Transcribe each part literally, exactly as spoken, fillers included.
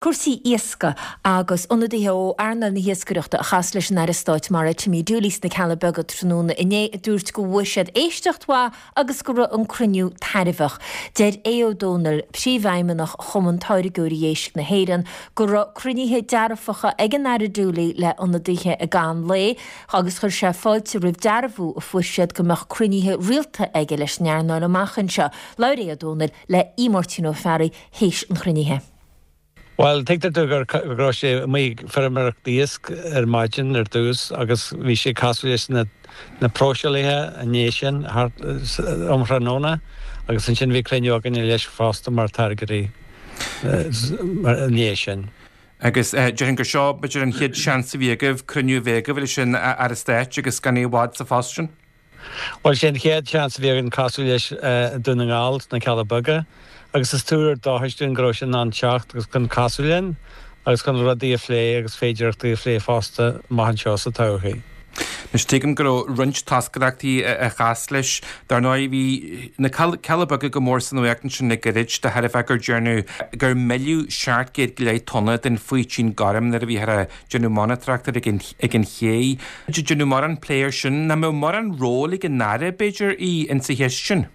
Cúrsaí iascaigh agus ionadaithe ó earnáil na hiascaireachta a chas leis an Aire Stáit Mara Timmy Dooley sna Cealla Beaga tráthnóna inné a dúirt go bhfuair siad éisteacht mhaith agus go raibh an cruinniú tairbheach. Deir Aodh Ó Domhnaill, príomhfheidhmeannach Chumann Táirgeoirí Éisc na hÉireann, go raibh cruinnithe dearfacha ag an Aire Dooley le ionadaithe i gcaitheamh an lae agus chuir sé fáilte roimh dearbhú a fuair siad go mbeadh cruinnithe rialta aige leis an earnáil amach anseo. Labhair Aodh Ó Domhnaill le Aodh Máirtín Ó Fearraigh théis an chruinnithe. Well, tuigtear gur go raibh sé amuigh feirmeoireacht iasc ar maidin ar dtús agus bhí sé casadh leis na na próiseálaithe an sin um thráthnóna agus ansin bhí cruinniú againn leis fosta mar táirgeoirí an sin. Agus déarfainn gur seo b'fhéidir an chéad seans a bhí agaibh cruinniú bheith agaibh leis an Aire Stáit agus gan é i bhfad sa phost sin. Well sé an chéad seans a bhí againn casadh leis Dún na nGall sna Cealla Beaga, agus is tuar dóchais dúinn go raibh sé in ann teacht agus chun casadh linn agus chun rudaí a phlé agus féidearthachtaí a phlé fosta amach anseo sa todhchaí. Anois tuigim go raibh roinnt toscaireachtaí a chas leis. Dar ndóigh bhí na Cealla Beaga go mór sa nuacht ansin le gairid de thairbhe gur dearnadh gur milleadh seacht gcéad go leith tonna den faoitín gorm nuair a bhíothar ag déanamh monatóireachta ag an ag an ché. Déanadh mórán plé air sin. Nach mbeadh mórán ról ag an Aire b'fhéidir í insa cheist sin?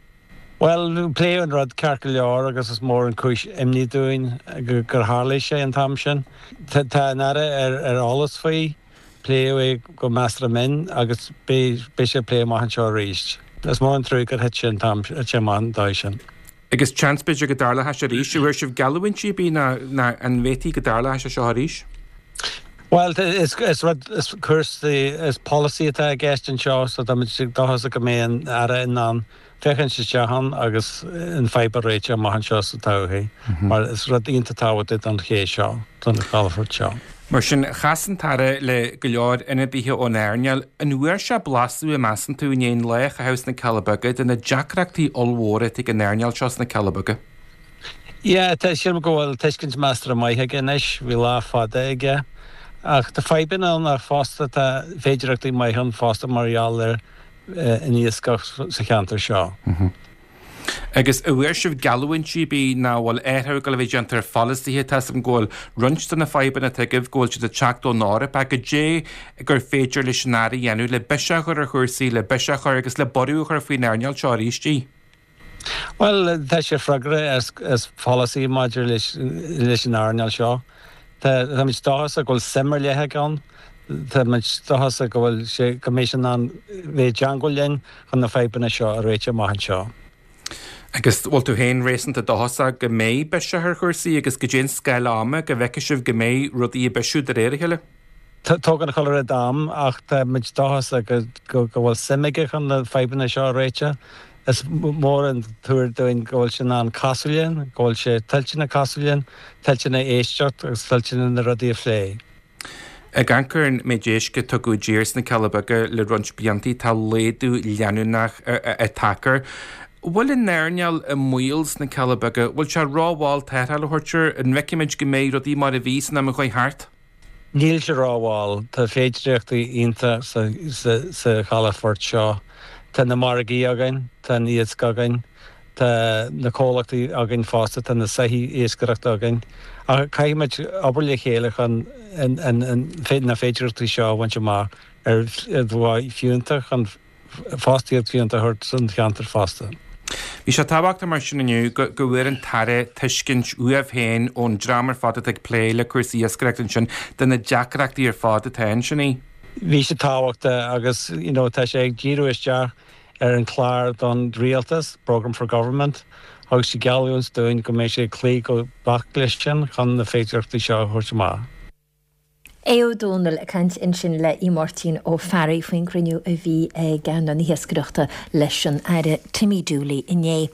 Well, pléadh an rud ceart go leor agus is mór an chúis imní dúinn gur tharla sé an t-am sin. Tá an Aire ar ar eolas faoi, pléadh é go measartha mion agus beidh sé plé amach anseo arís. Is mór an trua gur thit sé an t-am thit sé amach an dóigh sin. Agus seans b'fhéidir go dtarlódh sé arís. An bhfuair sibh geallúintí ar bith ná ná an bhféadfaí go dtarlódh sé seo arís? Well, is is rud is cúrsaí is polasaí atá i gceist anseo so táimid dóchasach go mbeidh an Aire in ann féachaint isteach ann agus an fadhb a réiteach amach anseo sa todhchaí mar is rud iontach tábhachtach don ché seo, don chalafort seo. Mar sin, chas an tAire le go leor ionadaithe ón earnáil. An bhfuair sé blaiseadh, an measann tú, i ndiaidh an lá a chaitheamh sna Cealla Beaga de na deacrachtaí ollmhóra atá ag an earnáil seo sna Cealla Beaga? Yeah, tá sílim go bhfuil tuiscint measartha maith aige anois, bhí lá fada aige. Ach tá fadhbanna ann ach fosta tá féidearthachtaí maith ann fosta mar gheall ar an iascach sa cheantar seo. Agus an bhfuair sibh geallúintí ar bith nach bhfuil athrú ag dul a bheith déanta ar pholasaithe, tá 'fhios agam go bhfuil roinnt de na fadhbanna atá agaibh go bhfuil siad ag teacht ón Eoraip ach goidé gur féidir leis an Aire a dhéanamh le biseach a chur ar chúrsaí, le biseach a chur agus le borradh a chur faoin earnáil seo arís í. Bhuel, tá sé freagrach as, as polasaí maidir leis, leis an earnáil seo. Tá táimid dóchasach go bhfuil suim ar leith aige ann. Táimid dóchasach go bhfuil sé go mbeidh sé in ann bheith i dteangmháil linn chun na fadhbanna seo a réiteach amach anseo. Agus bhfuil tú féin réasúnta dóchasach go mbeidh biseach ar chúrsaí agus goidé an scála ama go bhfeicfidh sibh go mbeidh rudaí ag bisiú de réir a chéile? Tógann chuile rud am ach táimid dóchasach go, go, go bhfuil suim aige chun na fadhbanna seo a réiteach. Is mór an tuar dúinn go bhfuil sé in ann casadh linn, go bhfuil sé toilteanach casadh linn, toilteanach éisteacht agus toilteanach na rudaí a phlé. Ag amharc ar an méid éisc a tugadh i dtír sna Cealla Beaga le roinnt blianta, tá laghdú leanúnach ag teacht air. Bhfuil an earnáil i mbaol sna Cealla Beaga? Bhfuil sé rómhall tarrtháil a thabhairt air? An bhfeicfimid go mbeidh rudaí mar a bhí san am a chuaigh thart? Níl sé rómhall. Tá féidearthachtaí iontach sa sa chalafort seo. Tá na margaí againn, tá an iasc againn, tá na comhlachtaí againn fosta, tá na soithí iascaireachta againn. Ach caithfimid obair le chéile chun na féidearthachtaí seo a bhaint amach ar mhodh fiúntach chun fostaíocht fiúntach a thabhairt don cheantar fosta. Bhí sé tábhachtach mar sin inniu go go bhfuair an tAire tuiscint uaibh féin ón dream ar fad atá ag plé le cúrsaí iascaireachta ansin de na deacrachtaí ar fad atá ansin í. Bhí sé tábhachtach agus you know tá sé ag díriú isteach ar an chlár don rialtas, Programme for Government, agus sé geallúint dúinn go mbeidh sé ag cloí go beacht leis sin chun na féidearthachtaí seo a thabhairt amach. Aodh Ó Domhnaill ag caint ansin le Aodh Máirtín Ó Fearraigh faoin gcruinniú a bhí ag earnáil na hiascaireachta leis an Aire Timmy Dooley inné.